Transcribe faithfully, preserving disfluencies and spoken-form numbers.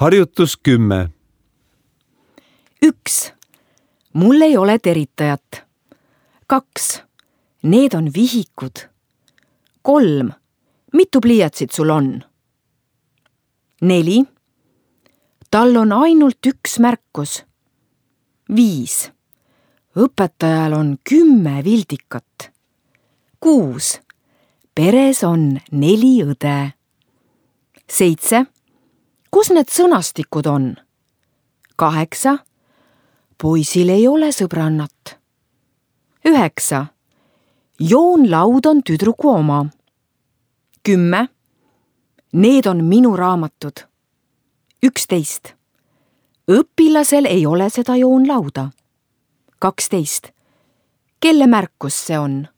Harjutus kümme. üks. Mul ei ole teritajat. kaks. Need on vihikud. kolm. Mitu pliiatsit sul on? neli. Tal on ainult üks märkus. viis. Õpetajal on kümme vildikat. kuus. Peres on neli õde. seitse. Kus need sõnastikud on? kaheksa. Poisil ei ole sõbrannat. üheksa. Joonlaud on tüdruku oma. kümme. Need on minu raamatud. üksteist. Õpilasel ei ole seda joonlauda. kaksteist. Kelle märkus see on?